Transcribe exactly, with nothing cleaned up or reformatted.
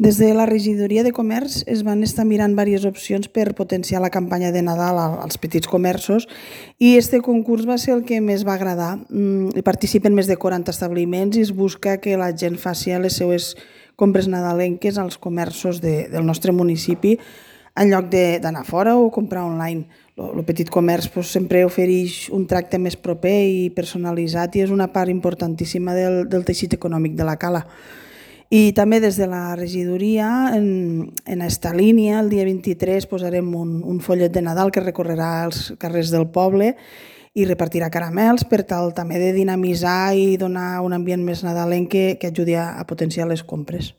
Des de la regidoria de comerç es van estar mirant diverses opcions per potenciar la campanya de Nadal a- als petits comerços i este concurs va ser el que més va agradar. Mm, Hi participen més de quaranta establiments i es busca que la gent faci les seues compres nadalenques als comerços de, del nostre municipi en lloc de- d'anar fora o comprar online. El petit comerç pues, sempre ofereix un tracte més proper i personalitzat i és una part importantíssima del, del teixit econòmic de la cala. I també des de la regidoria, en, en esta línia, el dia vint-i-tres posarem un, un follet de Nadal que recorrerà els carrers del poble i repartirà caramels per tal també de dinamitzar i donar un ambient més nadalenc que, que ajudi a, a potenciar les compres.